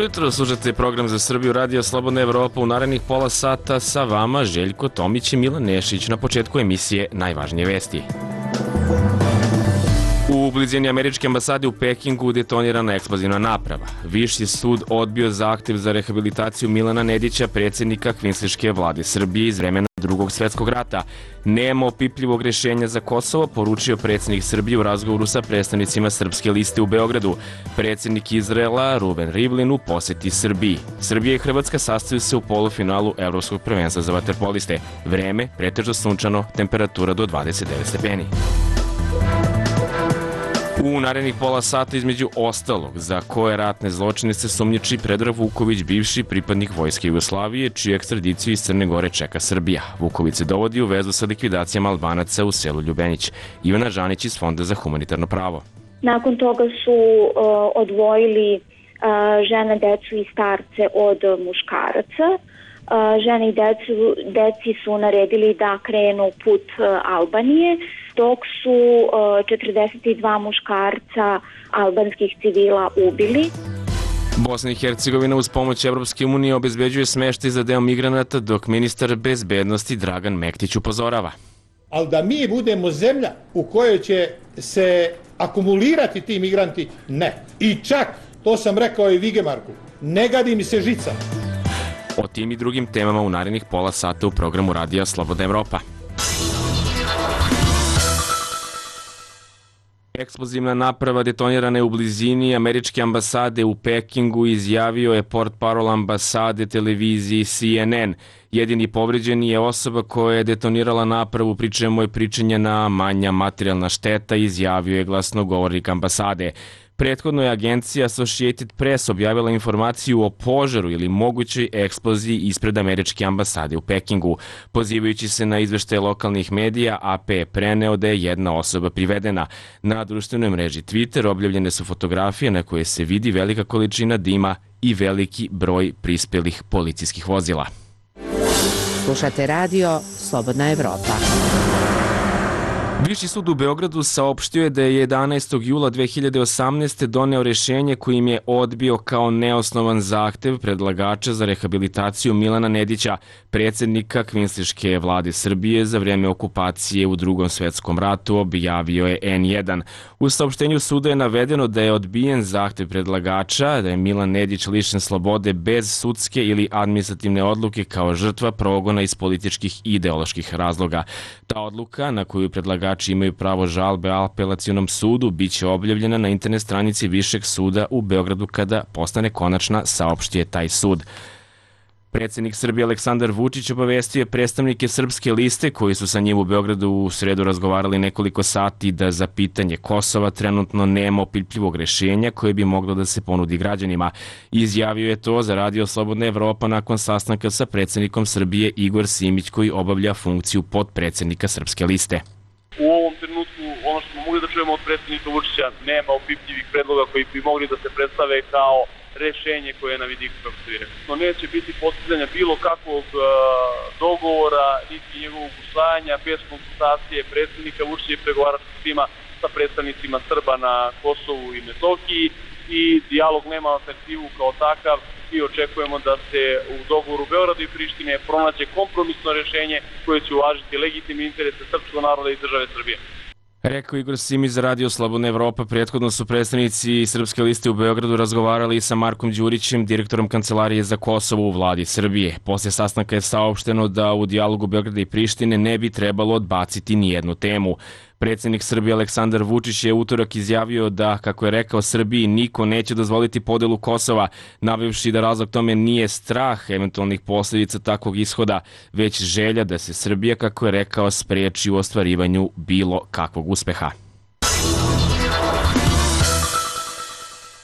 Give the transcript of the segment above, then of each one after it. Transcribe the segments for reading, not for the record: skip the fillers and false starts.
Dobro jutro, slušate program za Srbiju, Radio Slobodna Evropa. U narednih pola sata sa vama Željko Tomić i Milan Nešić. Na početku emisije najvažnije vesti. U blizini američke ambasade u Pekingu detonirana eksplozivna naprava. Viši sud odbio zahtev za rehabilitaciju Milana Nedića, predsjednika kvinsliške vlade Srbije iz vremena Drugog svjetskog rata. Nema opipljivog rješenja za Kosovo, poručio predsjednik Srbije u razgovoru sa predstavnicima Srpske liste u Beogradu. Predsjednik Izraela Ruven Rivlin u posjeti Srbiji. Srbija i Hrvatska sastaju se u polufinalu Evropskog prvenstva za vaterpoliste. Vreme pretežno sunčano, temperatura do 29 stepeni. U narednih pola sata između ostalog za koje ratne zločine se sumnjiči Predrag Vuković, bivši pripadnik Vojske Jugoslavije, čiju ekstradiciju iz Crne Gore čeka Srbija. Vuković se dovodi u vezu sa likvidacijama Albanaca u selu Ljubenić. Ivana Žanić iz Fonda za humanitarno pravo. Nakon toga su odvojili žene, decu i starce od muškaraca. Žene i deci su naredili da krenu put Albanije, dok su 42 muškarca albanskih civila ubili. Bosna i Hercegovina uz pomoć Evropske unije obezbeđuje smeštaj za deo migranata, dok ministar bezbednosti Dragan Mektić upozorava. Ali da mi budemo zemlja u kojoj će se akumulirati ti migranti, ne. I čak, to sam rekao i Vigemarku, ne gadi mi se žica. O tim i drugim temama u narednih pola sata u programu Radija Slobodna Evropa. Eksplozivna naprava detonirana je u blizini američke ambasade u Pekingu, izjavio je portparol ambasade televiziji CNN. Jedini povređeni je osoba koja je detonirala napravu, pri čemu je pričinjena manja materijalna šteta, izjavio je glasnogovornik ambasade. Prethodno je agencija Associated Press objavila informaciju o požaru ili mogućoj eksploziji ispred američke ambasade u Pekingu. Pozivajući se na izveštaje lokalnih medija, AP je preneo da je jedna osoba privedena. Na društvenoj mreži Twitter objavljene su fotografije na koje se vidi velika količina dima i veliki broj prispelih policijskih vozila. Slušate radio Slobodna Evropa. Viši sud u Beogradu saopštio je da je 11. jula 2018. doneo rješenje kojim je odbio kao neosnovan zahtev predlagača za rehabilitaciju Milana Nedića, predsjednika kvinsliške vlade Srbije za vrijeme okupacije u Drugom svjetskom ratu, objavio je N1. U saopštenju suda je navedeno da je odbijen zahtev predlagača, da je Milan Nedić lišen slobode bez sudske ili administrativne odluke kao žrtva progona iz političkih i ideoloških razloga. Ta odluka, na koju predlagač imaju pravo žalbe apelacionom sudu, bit će objavljena na internet stranici Višeg suda u Beogradu kada postane konačna, saopštio je taj sud. Predsjednik Srbije Aleksandar Vučić obavestio je predstavnike Srpske liste koji su sa njim u Beogradu u sredu razgovarali nekoliko sati da za pitanje Kosova trenutno nema opipljivog rješenja koje bi moglo da se ponudi građanima. Izjavio je to za Radio Slobodna Evropa nakon sastanka sa predsjednikom Srbije Igor Simić, koji obavlja funkciju potpredsjednika Srpske liste. U ovom trenutku ono što smo mogli da čujemo od predsjednika Vučića, nema opipljivih predloga koji bi mogli da se predstave kao rešenje koje je na vidiku, kako se rekao. No neće biti postizanja bilo kakvog dogovora, niti njegovog usvajanja bez konsultacije predsjednika Vučića i pregovaračkog tima sa predstavnicima Srba na Kosovu i Metohiji, i dijalog nema alternativu kao takav i očekujemo da se u dogovoru Beograda i Prištine pronađe kompromisno rješenje koje će uvažiti legitimne interese srpskog naroda i države Srbije. Rekao Igor Simić za Radio Slobodna Evropa. Prethodno su predstavnici Srpske liste u Beogradu razgovarali sa Markom Đurićem, direktorom Kancelarije za Kosovo u vladi Srbije. Poslije sastanka je saopšteno da u dijalogu Beograda i Prištine ne bi trebalo odbaciti nijednu temu. Predsjednik Srbije Aleksandar Vučić je utorak izjavio da, kako je rekao, Srbiji niko neće dozvoliti podelu Kosova, navevši da razlog tome nije strah eventualnih posljedica takvog ishoda, već želja da se Srbija, kako je rekao, spriječi u ostvarivanju bilo kakvog uspeha.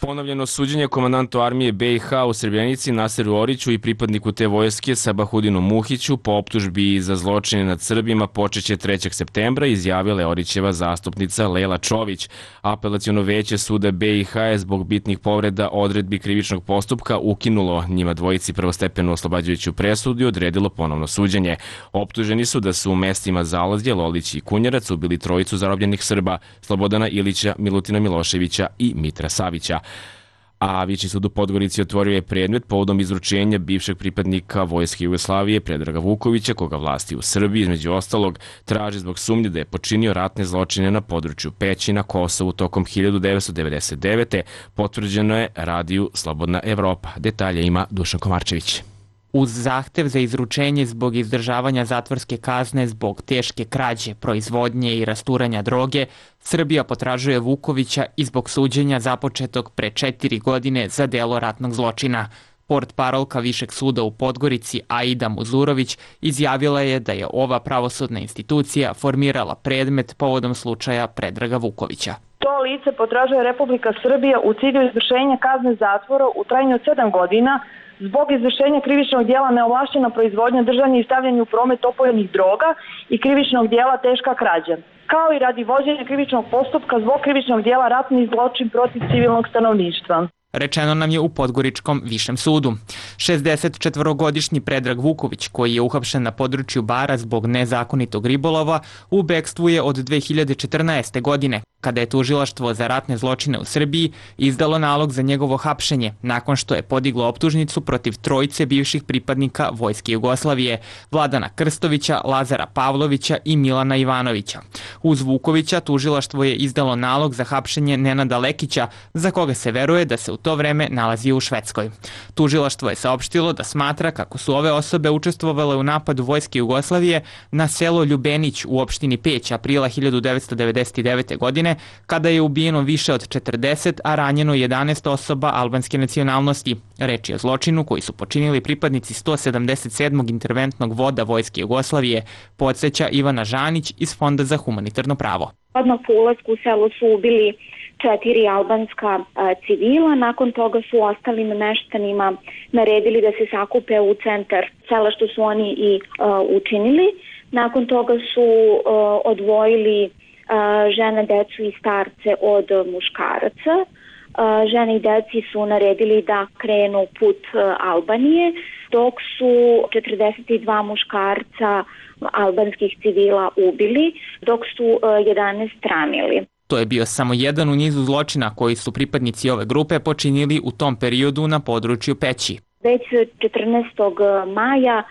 Ponovljeno suđenje komandantu armije BiH u Srebrenici Naseru Oriću i pripadniku te vojske Sabahudinu Muhiću po optužbi za zločine nad Srbima počeće 3. septembra, izjavila je Orićeva zastupnica Lela Čović. Apelaciono veće suda BiH je zbog bitnih povreda odredbi krivičnog postupka ukinulo njima dvojici prvostepenu oslobađajuću presudu i odredilo ponovno suđenje. Optuženi su da su u mestima Zalazje, Lolić i Kunjarac ubili trojicu zarobljenih Srba, Slobodana Ilića, Milutina Miloševića i Mitra Savića. a Viši sud u Podgorici otvorio je predmet povodom izručenja bivšeg pripadnika Vojske Jugoslavije Predraga Vukovića, koga vlasti u Srbiji između ostalog traži zbog sumnje da je počinio ratne zločine na području Peći na Kosovu tokom 1999. Potvrđeno je radiju Slobodna Evropa. Detalje ima Dušan Komarčević. Uz zahtev za izručenje zbog izdržavanja zatvorske kazne zbog teške krađe, proizvodnje i rasturanja droge, Srbija potražuje Vukovića i zbog suđenja započetog pre 4 godine za delo ratnog zločina. Portparolka Višeg suda u Podgorici Aida Muzurović izjavila je da je ova pravosudna institucija formirala predmet povodom slučaja Predraga Vukovića. To lice potražuje Republika Srbija u cilju izvršenja kazne zatvora u trajanju od 7 godina zbog izvršenja krivičnog dijela neovlašćena proizvodnja, držanje i stavljanje u promet opojnih droga i krivičnog dijela teška krađa, kao i radi vođenja krivičnog postupka zbog krivičnog dijela ratni zločin protiv civilnog stanovništva. Rečeno nam je u Podgoričkom višem sudu. 64-godišnji Predrag Vuković, koji je uhapšen na području Bara zbog nezakonitog ribolova, u bekstvu je od 2014. godine, kada je tužilaštvo za ratne zločine u Srbiji izdalo nalog za njegovo hapšenje, nakon što je podiglo optužnicu protiv trojice bivših pripadnika Vojske Jugoslavije, Vladana Krstovića, Lazara Pavlovića i Milana Ivanovića. Uz Vukovića tužilaštvo je izdalo nalog za hapšenje Nenada Lekića, za koga se veruje da se u to vreme nalazio u Švedskoj. Tužilaštvo je saopštilo da smatra kako su ove osobe učestvovale u napadu Vojske Jugoslavije na selo Ljubenić u opštini Peć aprila 1999. godine, kada je ubijeno više od 40, a ranjeno 11 osoba albanske nacionalnosti. Reč je o zločinu koji su počinili pripadnici 177. interventnog voda Vojske Jugoslavije, podsjeća Ivana Žanić iz Fonda za humanitarno pravo. Odmah po ulasku u selo su ubili 4 albanska civila, nakon toga su ostalim meštanima naredili da se sakupe u centar sela, što su oni i učinili. Nakon toga su odvojili žene, decu i starce od muškaraca. Žene i deci su naredili da krenu put Albanije, dok su 42 muškarca albanskih civila ubili, dok su 11 ranili. To je bio samo jedan u nizu zločina koji su pripadnici ove grupe počinili u tom periodu na području Peći. Već 14. maja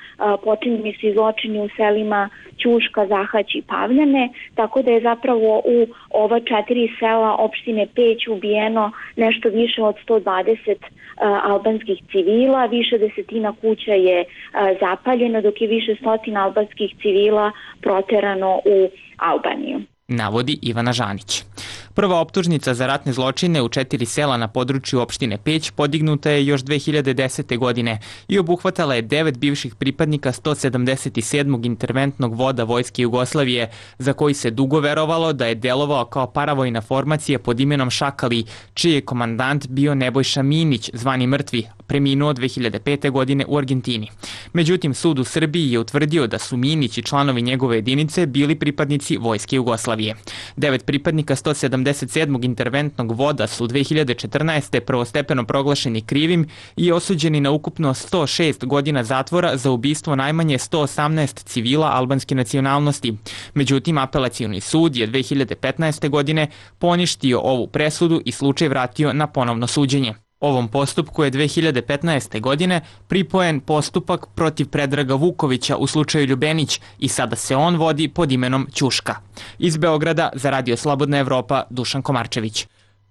počinjeni su zločini u selima Ćuška, Zahać i Pavljane, tako da je zapravo u ova 4 sela opštine Peć ubijeno nešto više od 120 albanskih civila, više desetina kuća je zapaljeno, dok je više stotina albanskih civila proterano u Albaniju, navodi Ivana Žanić. Prva optužnica za ratne zločine u 4 sela na području opštine Peć podignuta je još 2010. godine i obuhvatala je 9 bivših pripadnika 177. interventnog voda Vojske Jugoslavije, za koji se dugo verovalo da je delovao kao paravojna formacija pod imenom Šakali, čiji je komandant bio Nebojša Minić, zvani Mrtvi, preminuo 2005. godine u Argentini. Međutim, sud u Srbiji je utvrdio da su Minić i članovi njegove jedinice bili pripadnici Vojske Jugoslavije. 9 pripadnika 177. interventnog voda su 2014. prvostepeno proglašeni krivim i osuđeni na ukupno 106 godina zatvora za ubistvo najmanje 118 civila albanske nacionalnosti. Međutim, apelacioni sud je 2015. godine poništio ovu presudu i slučaj vratio na ponovno suđenje. Ovom postupku je 2015. godine pripojen postupak protiv Predraga Vukovića u slučaju Ljubenić i sada se on vodi pod imenom Ćuška. Iz Beograda za Radio Slobodna Evropa, Dušan Komarčević.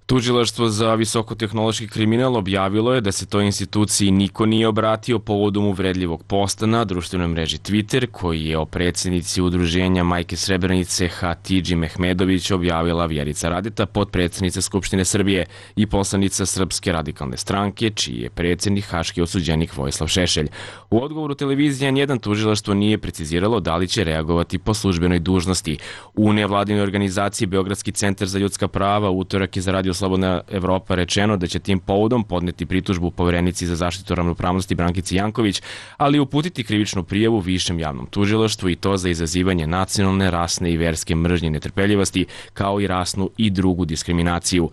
Tužilaštvo za visokotehnološki kriminal objavilo je da se toj instituciji niko nije obratio povodom uvredljivog posta na društvenoj mreži Twitter, koji je o predsjednici udruženja Majke Srebrenice Hatidži Mehmedović objavila Vjerica Radeta, potpredsjednica Skupštine Srbije i poslanica Srpske radikalne stranke, čiji je predsjednik haški osuđenik Vojislav Šešelj. U odgovoru televizije N1 tužilaštvo nije preciziralo da li će reagovati po službenoj dužnosti. U nevladinoj organizaciji Beogradski centar za ljudska prava utorak je za Radio Slobodna Evropa rečeno da će tim povodom podneti pritužbu Poverenici za zaštitu ravnopravnosti Brankici Janković, ali uputiti krivičnu prijavu Višem javnom tužilaštvu i to za izazivanje nacionalne, rasne i verske mržnje i netrpeljivosti, kao i rasnu i drugu diskriminaciju.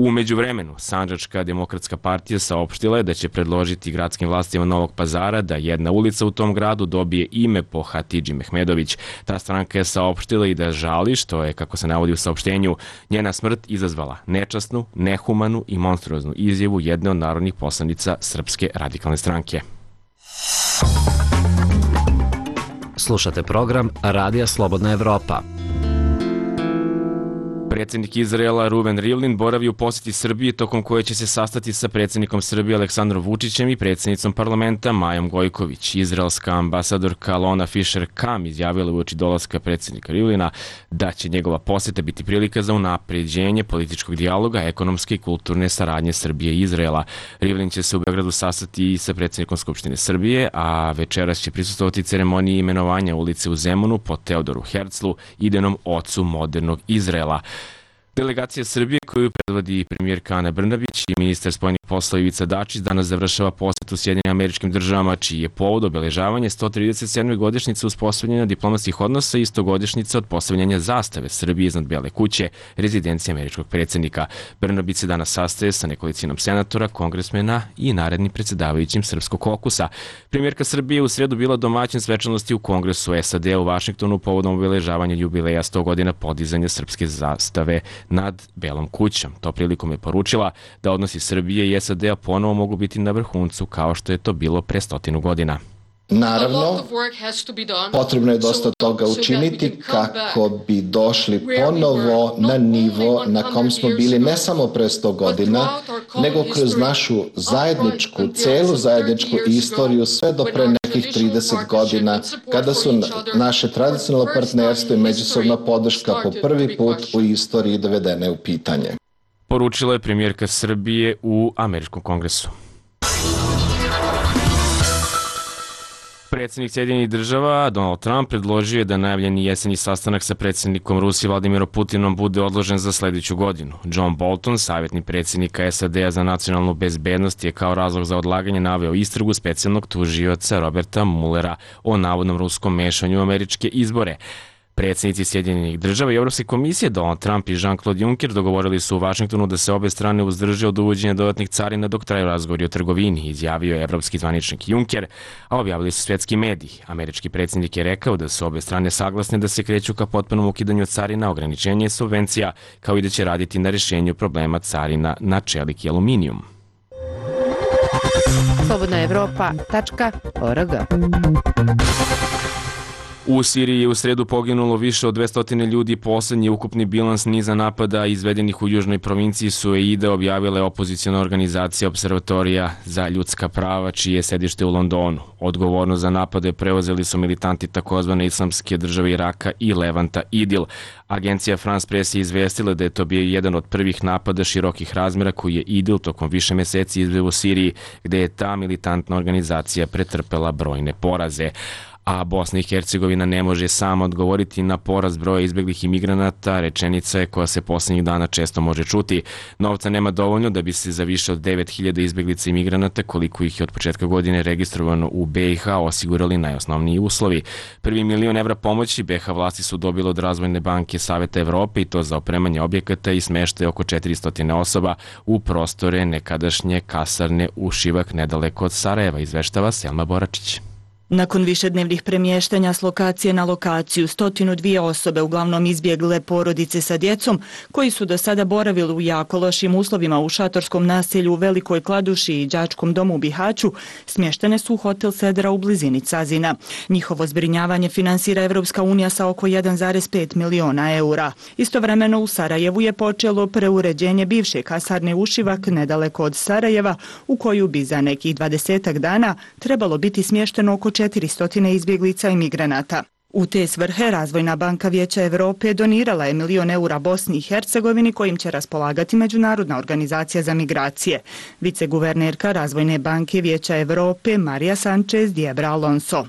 U međuvremenu, Sandžačka demokratska partija saopštila je da će predložiti gradskim vlastima Novog Pazara da jedna ulica u tom gradu dobije ime po Hatidži Mehmedović. Ta stranka je saopštila i da žali što je, kako se navodi u saopštenju, njena smrt izazvala nečasnu, nehumanu i monstruoznu izjavu jedne od narodnih poslanica Srpske radikalne stranke. Slušate program Radija Slobodna Evropa. Predsjednik Izraela Ruven Rivlin boravi u posjeti Srbiji tokom koje će se sastati sa predsjednikom Srbije Aleksandrom Vučićem i predsjednicom parlamenta Majom Gojković. Izraelska ambasadorka Lona Fischer-Kam izjavila uoči dolaska predsjednika Rivlina da će njegova posjeta biti prilika za unapređenje političkog dijaloga, ekonomske i kulturne saradnje Srbije i Izraela. Rivlin će se u Beogradu sastati i sa predsjednikom Skupštine Srbije, a večeras će prisustvovati ceremoniji imenovanja ulice u Zemunu po Teodoru Herzlu, idejnom ocu modernog Izraela. Delegacija Srbije koju predvodi premijerka Ana Brnabić i ministar spoljnih poslova Ivica Dačić danas završava posjetu Sjedinjenim Američkim Državama, čiji je povod obeležavanje 137. godišnjice uspostavljanja diplomatskih odnosa i 100-godišnjice od postavljanja zastave Srbije iznad Bele kuće, rezidencije američkog predsjednika. Brnabić se danas sastaje sa nekolicinom senatora, kongresmena i narednim predsjedavajućim Srpskog kokusa. Premijerka Srbije u sredu bila domaćin svečanosti u Kongresu SAD u Vašingtonu povodom obeležavanja jubileja 100 godina podizanja srpske zastave nad Belom kućom. To prilikom je poručila da odnosi Srbije i SAD-a ponovo mogu biti na vrhuncu kao što je to bilo pre 100 godina. Naravno, potrebno je dosta toga učiniti kako bi došli ponovo na nivo na kom smo bili ne samo pre 100 godina, nego kroz našu celu zajedničku istoriju sve do pre nekih 30 godina, kada su naše tradicionalno partnerstvo i međusobna podrška po prvi put u istoriji dovedene u pitanje. Poručila je premijerka Srbije u Američkom kongresu. Predsjednik Sjedinjenih Država Donald Trump predložio je da najavljeni jeseni sastanak sa predsjednikom Rusije Vladimirom Putinom bude odložen za sledeću godinu. John Bolton, savjetnik predsjednika SAD-a za nacionalnu bezbednost, je kao razlog za odlaganje naveo istragu specijalnog tužioca Roberta Muellera o navodnom ruskom mešanju u američke izbore. Predsjednici Sjedinjenih Država i Evropske komisije Donald Trump i Jean-Claude Juncker dogovorili su u Vašingtonu da se obe strane uzdrže od uvođenja dodatnih carina dok traju razgovori o trgovini, izjavio je evropski zvaničnik Juncker, a objavili su svetski mediji. Američki predsjednik je rekao da su obe strane saglasne da se kreću ka potpunom ukidanju carina, ograničenje subvencija, kao i da će raditi na rješenju problema carina na čelik i aluminijum. slobodnaevropa.org. U Siriji je u sredu poginulo više od 200 ljudi. Poslednji ukupni bilans niza napada izvedenih u južnoj provinciji Sueida objavila je opozicijona organizacija Observatorija za ljudska prava, čije je sedište u Londonu. Odgovornost za napade preuzeli su militanti takozvane Islamske države Iraka i Levanta Idil. Agencija France Press je izvestila da je to bio jedan od prvih napada širokih razmera koji je Idil tokom više meseci izveo u Siriji, gde je ta militantna organizacija pretrpela brojne poraze. A Bosna i Hercegovina ne može sama odgovoriti na porast broja izbeglih imigranata, rečenica je koja se poslednjih dana često može čuti. Novca nema dovoljno da bi se za više od 9000 izbeglica imigranata, koliko ih je od početka godine registrovano u BiH, osigurali najosnovniji uslovi. Prvi €1.000.000 pomoći BiH vlasti su dobile od Razvojne banke Saveta Evrope, i to za opremanje objekata i smeštaj oko 400 osoba u prostore nekadašnje kasarne u Šivak, nedaleko od Sarajeva, izveštava Selma Boračić. Nakon višednevnih premještanja s lokacije na lokaciju, 102 osobe, uglavnom izbjegle porodice sa djecom, koji su do sada boravili u jako lošim uslovima u šatorskom naselju u Velikoj Kladuši i đačkom domu u Bihaću, smještene su u hotel Sedra u blizini Cazina. Njihovo zbrinjavanje finansira Evropska unija sa oko 1,5 miliona eura. Istovremeno u Sarajevu je počelo preuređenje bivše kasarne Ušivak nedaleko od Sarajeva, u koju bi za nekih 20 dana trebalo biti smješteno oko 400 izbjeglica i migranata. U te svrhe Razvojna banka Vijeća Evrope donirala je €1.000.000 Bosni i Hercegovini, kojim će raspolagati Međunarodna organizacija za migracije. Viceguvernerka Razvojne banke Vijeća Evrope Marija Sanchez Diebra Alonso.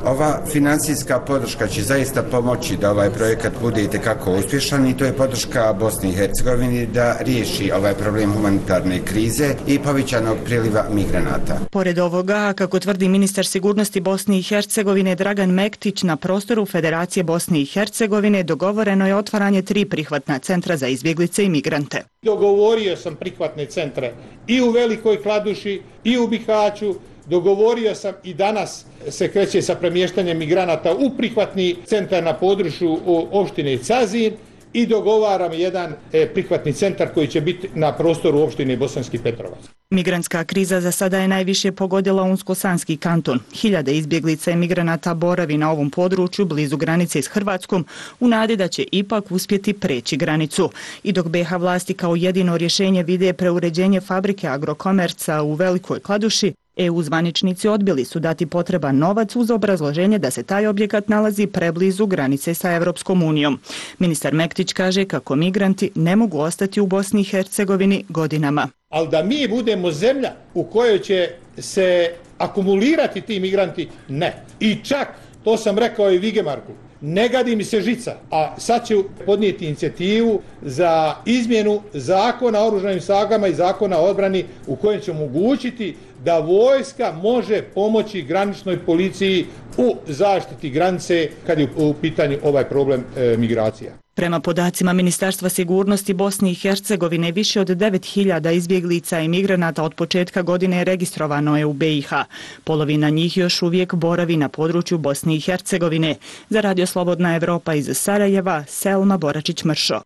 Ova financijska podrška će zaista pomoći da ovaj projekat bude itekako uspješan i to je podrška Bosni i Hercegovini da riješi ovaj problem humanitarne krize i povećanog priliva migranata. Pored ovoga, kako tvrdi ministar sigurnosti Bosne i Hercegovine Dragan Mektić, na prostoru Federacije Bosne i Hercegovine dogovoreno je otvaranje 3 prihvatna centra za izbjeglice i migrante. Dogovorio sam prihvatne centre i u Velikoj Kladuši i u Bihaću. Dogovorio sam i danas se kreće sa premještanjem migranata u prihvatni centar na području opštine Cazin i dogovaram jedan prihvatni centar koji će biti na prostoru opštine Bosanski Petrovac. Migrantska kriza za sada je najviše pogodila Unsko-Sanski kanton. Hiljade izbjeglica i migranata boravi na ovom području blizu granice s Hrvatskom u nadi da će ipak uspjeti preći granicu. I dok BiH vlasti kao jedino rješenje vide preuređenje fabrike Agrokomerca u Velikoj Kladuši, EU zvaničnici odbili su dati potreban novac uz obrazloženje da se taj objekat nalazi preblizu granice sa Evropskom unijom. Ministar Mektić kaže kako migranti ne mogu ostati u Bosni i Hercegovini godinama. Ali da mi budemo zemlja u kojoj će se akumulirati ti migranti, ne. I čak, to sam rekao i Vigemarku, ne gadi mi se žica, a sad ću podnijeti inicijativu za izmjenu zakona o oružanim snagama i zakona o odbrani u kojem će omogućiti da vojska može pomoći graničnoj policiji u zaštiti granice kad je u pitanju ovaj problem migracija. Prema podacima Ministarstva sigurnosti Bosne i Hercegovine, više od 9.000 izbjeglica i migranata od početka godine registrovano je u BiH. Polovina njih još uvijek boravi na području Bosne i Hercegovine. Za Radio Slobodna Evropa iz Sarajeva, Selma Boračić-Mršo.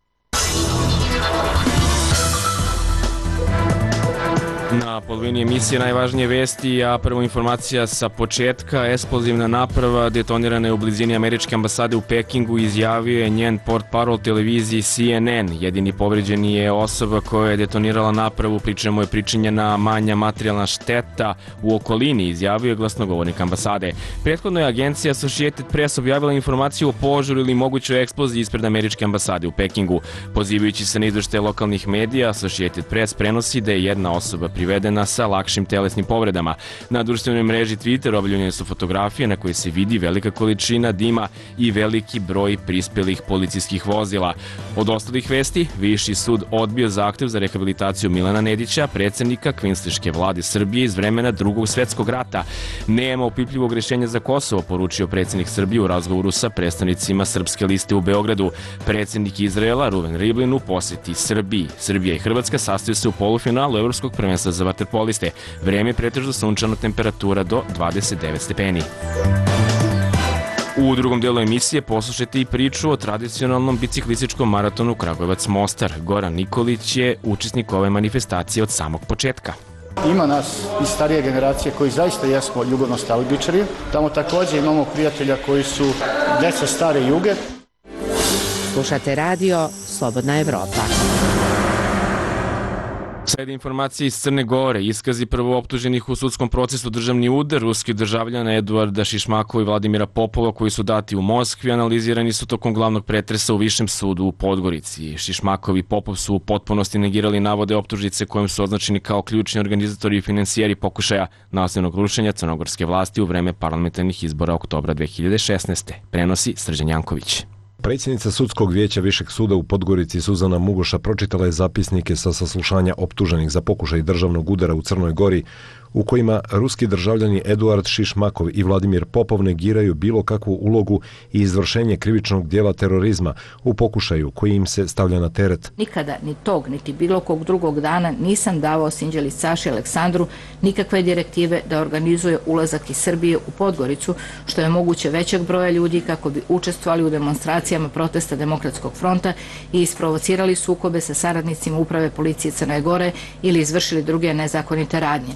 Na polovini emisije najvažnije vesti, a prvo informacija sa početka. Eksplozivna naprava detonirana je u blizini američke ambasade u Pekingu, izjavio je njen portparol televiziji CNN. Jedini povređeni je osoba koja je detonirala napravu, pri čemu je pričinjena manja materijalna šteta u okolini, izjavio je glasnogovornik ambasade. Prethodno je agencija Associated Press objavila informaciju o požaru ili mogućoj eksploziji ispred američke ambasade u Pekingu. Pozivajući se na izvještaje lokalnih medija, Associated Press prenosi da je jedna osoba privedena sa lakšim telesnim povredama. Na društvenoj mreži Twitter objavljene su fotografije na koje se vidi velika količina dima i veliki broj prispelih policijskih vozila. Od ostalih vesti, Viši sud odbio zahtev za rehabilitaciju Milana Nedića, predsjednika kvinsliške vlade Srbije iz vremena Drugog svjetskog rata. Nema opipljivog rješenja za Kosovo, poručio predsjednik Srbije u razgovoru sa predstavnicima Srpske liste u Beogradu. Predsjednik Izraela Ruven Rivlin u posjeti Srbiji. Srbija i Hrvatska sastaju se u polufinalu Evropskog prvenstva za vaterpoliste. Vrijeme je pretežno sunčano, temperatura do 29 stepeni. U drugom dijelu emisije poslušajte i priču o tradicionalnom biciklističkom maratonu Kragujevac-Mostar. Goran Nikolić je učesnik ove manifestacije od samog početka. Ima nas iz starije generacije koji zaista jesmo jugonostalgičari. Tamo također imamo prijatelja koji su deca stare juge. Slušate radio Slobodna Evropa. Slede informacije iz Crne Gore, iskazi prvooptuženih u sudskom procesu državni udar ruskih državljana Eduarda Šišmakova i Vladimira Popova koji su dati u Moskvi, analizirani su tokom glavnog pretresa u Višem sudu u Podgorici. Šišmakov i Popov su u potpunosti negirali navode optužnice kojim su označeni kao ključni organizatori i finansijeri pokušaja nasilnog rušenja crnogorske vlasti u vreme parlamentarnih izbora oktobra 2016. Prenosi Srđan Janković. Predsjednica sudskog vijeća Višeg suda u Podgorici Suzana Mugoša pročitala je zapisnike sa saslušanja optuženih za pokušaj državnog udara u Crnoj Gori, u kojima ruski državljani Eduard Šišmakov i Vladimir Popov negiraju bilo kakvu ulogu i izvršenje krivičnog dijela terorizma u pokušaju koji im se stavlja na teret. Nikada ni tog, niti bilo kog drugog dana nisam davao Sinđeli Saši Aleksandru nikakve direktive da organizuje ulazak iz Srbije u Podgoricu, što je moguće većeg broja ljudi kako bi učestvovali u demonstracijama protesta Demokratskog fronta i isprovocirali sukobe sa saradnicima uprave policije Crne Gore ili izvršili druge nezakonite radnje.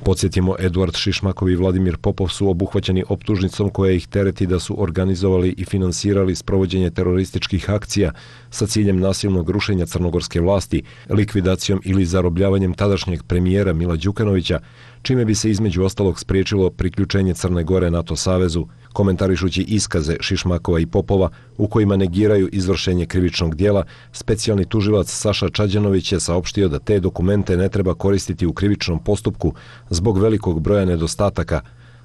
Podsjetimo, Eduard Šišmakov i Vladimir Popov su obuhvaćeni optužnicom koja ih tereti da su organizovali i finansirali sprovođenje terorističkih akcija sa ciljem nasilnog rušenja crnogorske vlasti, likvidacijom ili zarobljavanjem tadašnjeg premijera Mila Đukanovića, čime bi se između ostalog spriječilo priključenje Crne Gore NATO savezu. Komentarišući iskaze Šišmakova i Popova u kojima negiraju izvršenje krivičnog dijela, specijalni tužilac Saša Čađanović je saopštio da te dokumente ne treba koristiti u krivičnom postupku zbog velikog broja nedostataka,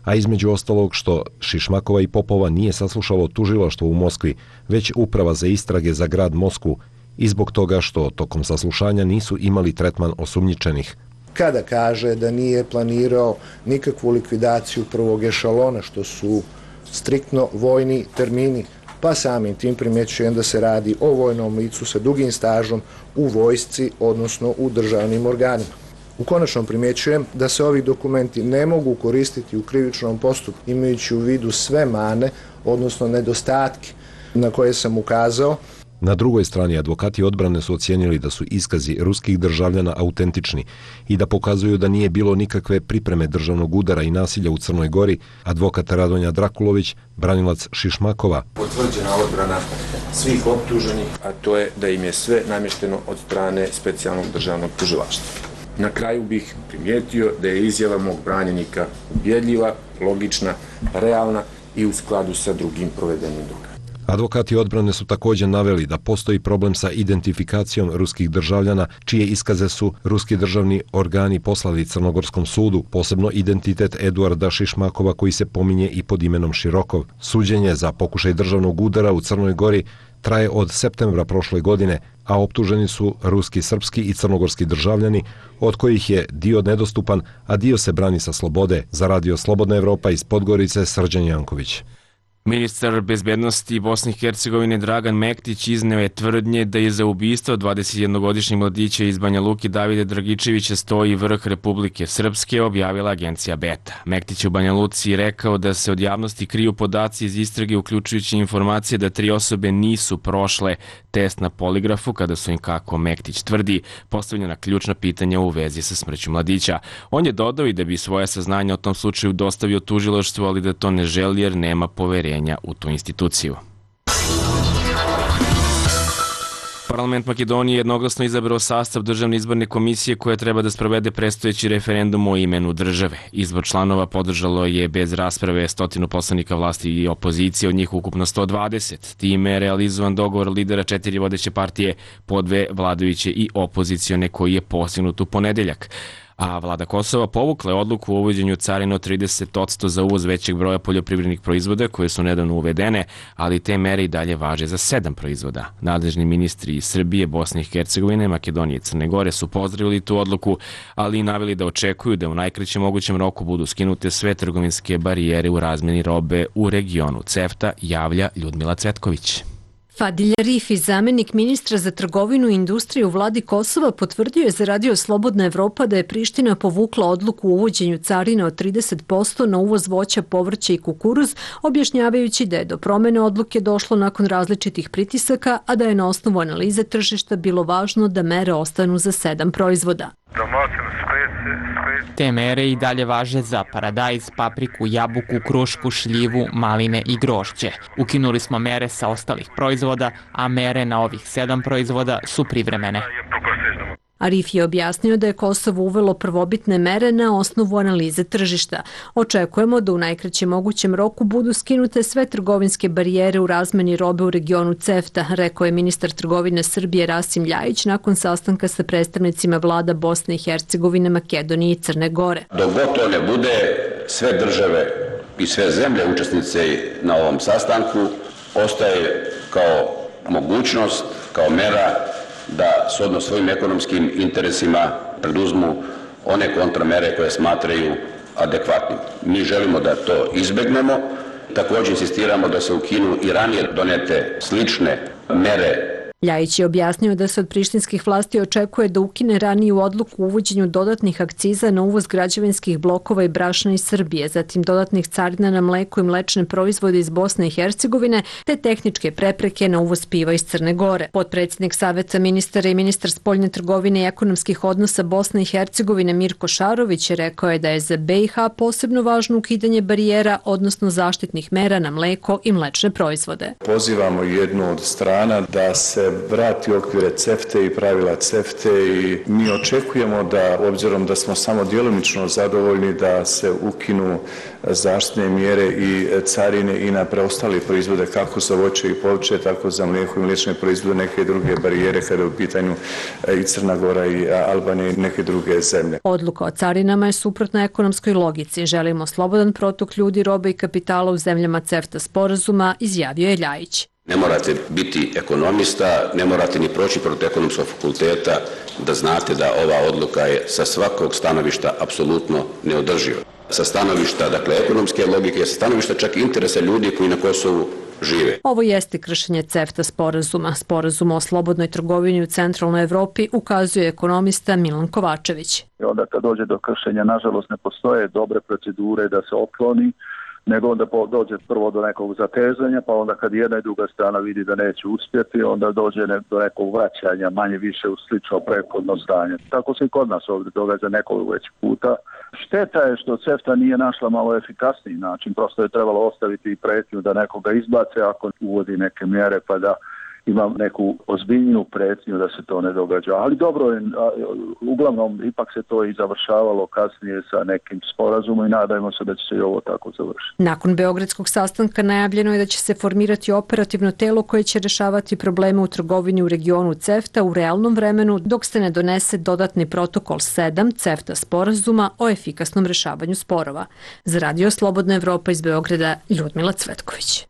a između ostalog što Šišmakova i Popova nije saslušalo tužilaštvo u Moskvi, već Uprava za istrage za grad Moskvu i zbog toga što tokom saslušanja nisu imali tretman osumnjičenih. Kada kaže da nije planirao nikakvu likvidaciju prvog ešalona, što su striktno vojni termini, pa samim tim primjećujem da se radi o vojnom licu sa dugim stažom u vojsci, odnosno u državnim organima. U konačnom primjećujem da se ovi dokumenti ne mogu koristiti u krivičnom postupku, imajući u vidu sve mane, odnosno nedostatke na koje sam ukazao. Na drugoj strani, advokati odbrane su ocijenili da su iskazi ruskih državljana autentični i da pokazuju da nije bilo nikakve pripreme državnog udara i nasilja u Crnoj Gori. Advokat Radonja Drakulović, branilac Šišmakova. Potvrđena odbrana svih optuženih, a to je da im je sve namješteno od strane specijalnog državnog tužilaštva. Na kraju bih primijetio da je izjava mog branjenika ubjedljiva, logična, realna i u skladu sa drugim provedenim dokazima. Advokati odbrane su također naveli da postoji problem sa identifikacijom ruskih državljana, čije iskaze su ruski državni organi poslali Crnogorskom sudu, posebno identitet Eduarda Šišmakova koji se pominje i pod imenom Širokov. Suđenje za pokušaj državnog udara u Crnoj Gori traje od septembra prošle godine, a optuženi su ruski, srpski i crnogorski državljani, od kojih je dio nedostupan, a dio se brani sa slobode. Za Radio Slobodna Evropa iz Podgorice, Srđan Janković. Ministar bezbednosti Bosne i Hercegovine Dragan Mektić izneo je tvrdnje da je za ubistvo 21-godišnjeg mladića iz Banja Luke Davida Dragičevića stoji vrh Republike Srpske, objavila agencija Beta. Mektić u Banja Luci rekao da se od javnosti kriju podaci iz istrage, uključujući informacije da 3 osobe nisu prošle test na poligrafu kada su im, kako Mektić tvrdi, postavljena ključna pitanja u vezi sa smrću mladića. On je dodao i da bi svoje saznanja o tom slučaju dostavio tužilaštvu, ali da to ne želi jer nema poverenja u tu instituciju. Parlament Makedonije jednoglasno izabrao sastav državne izborne komisije koja treba da sprovede predstojeći referendum o imenu države. Izbor članova podržalo je bez rasprave 100 poslanika vlasti i opozicije, od njih ukupno 120. Time je realizovan dogovor lidera 4 vodeće partije, po 2 vladajuće i opozicione, koji je postignut u ponedeljak. A vlada Kosova povukla je odluku o uvođenju carine od 30% za uvoz većeg broja poljoprivrednih proizvoda koje su nedavno uvedene, ali te mere i dalje važe za 7 proizvoda. Nadležni ministri iz Srbije, Bosne i Hercegovine, Makedonije i Crne Gore su pozdravili tu odluku, ali i naveli da očekuju da u najkraćem mogućem roku budu skinute sve trgovinske barijere u razmjeni robe u regionu CEFTA, javlja Ljudmila Cvetković. Fadil Rifi, zamjenik ministra za trgovinu i industriju u vladi Kosova, potvrdio je za Radio Slobodna Evropa da je Priština povukla odluku o uvođenju carine od 30% na uvoz voća, povrća i kukuruz, objašnjavajući da je do promene odluke došlo nakon različitih pritisaka, a da je na osnovu analize tržišta bilo važno da mere ostanu za 7 proizvoda. Te mere i dalje važe za paradajz, papriku, jabuku, krušku, šljivu, maline i grožđe. Ukinuli smo mere sa ostalih proizvoda, a mere na ovih 7 proizvoda su privremene. Arif je objasnio da je Kosovo uvelo prvobitne mere na osnovu analize tržišta. Očekujemo da u najkraćem mogućem roku budu skinute sve trgovinske barijere u razmeni robe u regionu CEFTA, rekao je ministar trgovine Srbije Rasim Ljajić nakon sastanka sa predstavnicima vlada Bosne i Hercegovine, Makedonije i Crne Gore. Dok god to ne bude, sve države i sve zemlje učesnice na ovom sastanku ostaje kao mogućnost, kao mera da shodno svojim ekonomskim interesima preduzmu one kontramere koje smatraju adekvatnim. Mi želimo da to izbegnemo, također insistiramo da se ukinu i ranije donete slične mere. Ljajić je objasnio da se od prištinskih vlasti očekuje da ukine raniju odluku o uvođenju dodatnih akciza na uvoz građevinskih blokova i brašna iz Srbije, zatim dodatnih carina na mleko i mlečne proizvode iz Bosne i Hercegovine, te tehničke prepreke na uvoz piva iz Crne Gore. Potpredsjednik Saveta ministara i ministar spoljne trgovine i ekonomskih odnosa Bosne i Hercegovine Mirko Šarović rekao je da je za BiH posebno važno ukidanje barijera, odnosno zaštitnih mera na mleko i mlečne proizvode. Pozivamo jednu od strana da se se vrati u okvire CEFTA i pravila CEFTA i mi očekujemo da, obzirom da smo samo djelomično zadovoljni, da se ukinu zaštitne mjere i carine i na preostali proizvode kako za voće i povrće, tako za mlijeko i mliječne proizvode, neke druge barijere kada je u pitanju i Crna Gora i Albanija i neke druge zemlje. Odluka o carinama je suprotna ekonomskoj logici. Želimo slobodan protok ljudi, robe i kapitala u zemljama CEFTA sporazuma, izjavio je Ljajić. Ne morate biti ekonomista, ne morate ni proći proti ekonomskog fakulteta da znate da ova odluka je sa svakog stanovišta apsolutno neodrživa. Sa stanovišta, dakle, ekonomske logike, sa stanovišta čak interesa ljudi koji na Kosovu žive. Ovo jeste kršenje CEFTA sporazuma. Sporazum o slobodnoj trgovini u centralnoj Evropi, ukazuje ekonomista Milan Kovačević. Onda kad dođe do kršenja, nažalost, ne postoje dobre procedure da se otkloni, nego onda dođe prvo do nekog zatezanja, pa onda kad jedna i druga strana vidi da neće uspjeti, onda dođe do nekog vraćanja manje više u slično prethodno stanje. Tako se i kod nas ovdje događa nekoliko već puta. Šteta je što CEFTA nije našla malo efikasniji način, prosto je trebalo ostaviti i pretnju da nekoga izbace ako uvodi neke mjere, pa da ima neku ozbiljniju pretnju da se to ne događa. Ali dobro, uglavnom ipak se to i završavalo kasnije sa nekim sporazumom i nadajmo se da će se i ovo tako završiti. Nakon beogradskog sastanka najavljeno je da će se formirati operativno telo koje će rješavati probleme u trgovini u regionu CEFTA u realnom vremenu dok se ne donese dodatni protokol 7 CEFTA sporazuma o efikasnom rješavanju sporova. Za Radio Slobodna Evropa iz Beograda, Ljudmila Cvetković.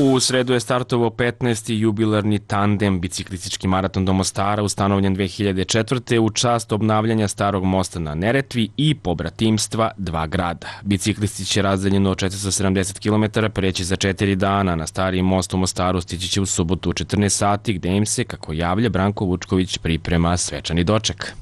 U sredu je startovao 15. jubilarni tandem biciklistički maraton do Mostara, ustanovljen 2004. u čast obnavljanja starog mosta na Neretvi i pobratimstva dva grada. Biciklisti će razdaljeno 470 km preći za 4 dana. Na stari most u Mostaru stići će u subotu u 14 sati, gde im se, kako javlja Branko Vučković, priprema svečani doček.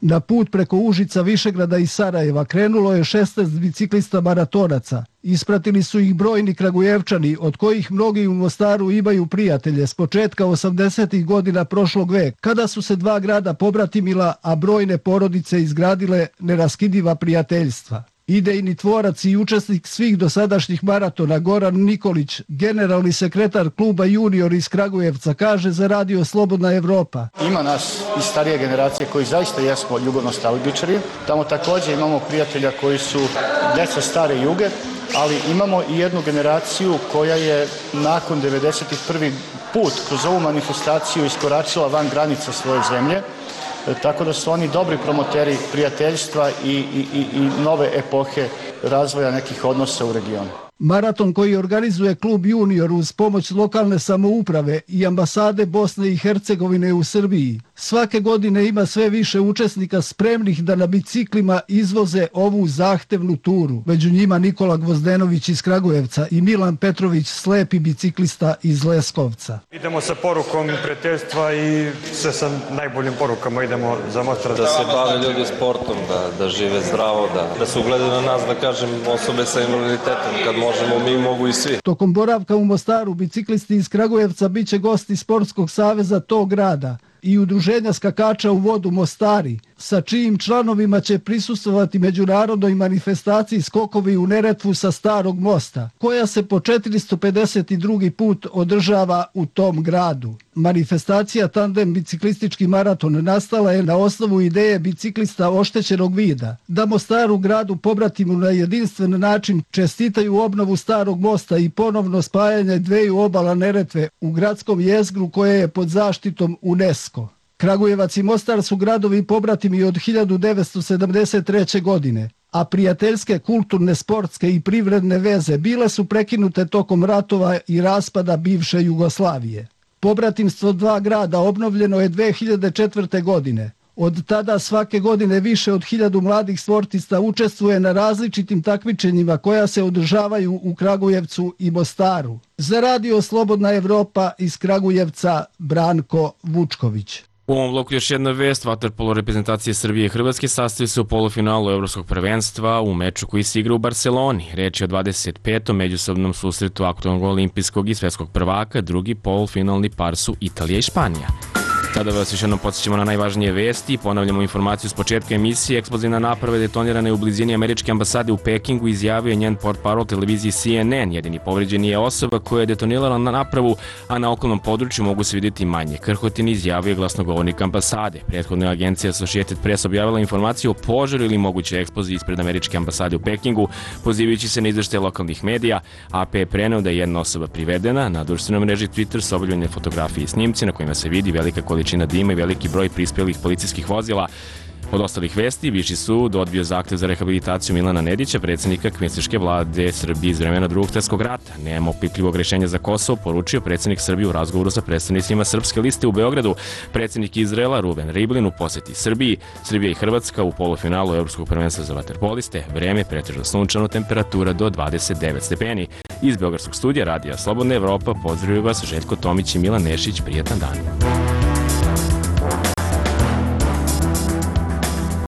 Na put preko Užica, Višegrada i Sarajeva krenulo je 16 biciklista maratonaca. Ispratili su ih brojni Kragujevčani, od kojih mnogi u Mostaru imaju prijatelje s početka 80. godina prošlog veka, kada su se dva grada pobratimila, a brojne porodice izgradile neraskidiva prijateljstva. Idejni tvorac i učesnik svih dosadašnjih maratona Goran Nikolić, generalni sekretar kluba Junior iz Kragujevca, kaže za Radio Slobodna Evropa. Ima nas iz starije generacije koji zaista jesmo jugonostalgičari. Tamo također imamo prijatelja koji su deca stare Juge, ali imamo i jednu generaciju koja je nakon 91. put kroz ovu manifestaciju iskoračila van granica svoje zemlje. Tako da su oni dobri promoteri prijateljstva i nove epohe razvoja nekih odnosa u regionu. Maraton koji organizuje klub Junior uz pomoć lokalne samouprave i ambasade Bosne i Hercegovine u Srbiji svake godine ima sve više učesnika spremnih da na biciklima izvoze ovu zahtevnu turu. Među njima Nikola Gvozdenović iz Kragujevca i Milan Petrović, slepi biciklista iz Leskovca. Idemo sa porukom prijateljstva i sve sa najboljim porukama idemo za Mostar. Da se bave ljudi sportom, da žive zdravo, da se ugledaju na nas, da kažem, osobe sa invaliditetom, kad možemo, mi mogu i svi. Tokom boravka u Mostaru biciklisti iz Kragujevca biće gosti Sportskog saveza tog grada i udruženja skakača u vodu Mostari, sa čijim članovima će prisustvovati međunarodnoj manifestaciji Skokovi u Neretvu sa Starog mosta, koja se po 452. put održava u tom gradu. Manifestacija Tandem biciklistički maraton nastala je na osnovu ideje biciklista oštećenog vida, da Mostaru gradu pobratimu na jedinstven način čestitaju obnovu Starog mosta i ponovno spajanje dveju obala Neretve u gradskom jezgru koje je pod zaštitom UNESCO. Kragujevac i Mostar su gradovi pobratimi od 1973. godine, a prijateljske, kulturne, sportske i privredne veze bile su prekinute tokom ratova i raspada bivše Jugoslavije. Pobratimstvo dva grada obnovljeno je 2004. godine. Od tada svake godine više od 1000 mladih sportista učestvuje na različitim takmičenjima koja se održavaju u Kragujevcu i Mostaru. Za Radio Slobodna Evropa iz Kragujevca, Branko Vučković. U ovom bloku još jedna vest, vaterpolo reprezentacije Srbije i Hrvatske sastoji se u polufinalu Evropskog prvenstva u meču koji se igra u Barceloni. Reč je o 25. međusobnom susretu aktualnog olimpijskog i svetskog prvaka, drugi polufinalni par su Italija i Španija. Sada vas još jednom podsjećamo na najvažnije vesti. Ponavljamo informaciju s početka emisije. Eksplozivna naprava detonirana je u blizini američke ambasade u Pekingu, izjavio je njen portparol televiziji CNN. Jedini povređeni je osoba koja je detonirala na napravu, a na okolnom području mogu se vidjeti manje krhotine, izjavio je glasnogovornik ambasade. Prethodna je agencija Associated Press objavila informaciju o požaru ili mogućoj eksploziji ispred američke ambasade u Pekingu, pozivajući se na izveštaje lokalnih medija. AP je preneo da je jedna osoba privedena. Na društvenoj mreži Twitter su objavljene fotografije i snimci na kojima se vidi velika količina dima i veliki broj prispelih policijskih vozila. Od ostalih vesti, Viši sud odbio zahtev za rehabilitaciju Milana Nedića, predsjednika kvislinške vlade Srbije iz vremena Drugog svjetskog rata. Nema opipljivog rješenja za Kosovo, poručio predsjednik Srbije u razgovoru sa predstavnicima Srpske liste u Beogradu. Predsjednik Izraela Ruven Rivlin u posjeti Srbiji. Srbija i Hrvatska u polufinalu Evropskog prvenstva za vaterpoliste. Vreme pretežno sunčano, temperatura do 29 stepeni. Iz Beogradskog studija Radija Slobodna Evropa pozdravljaju vas Željko Tomić i Milan Nešić. Prijetan dan.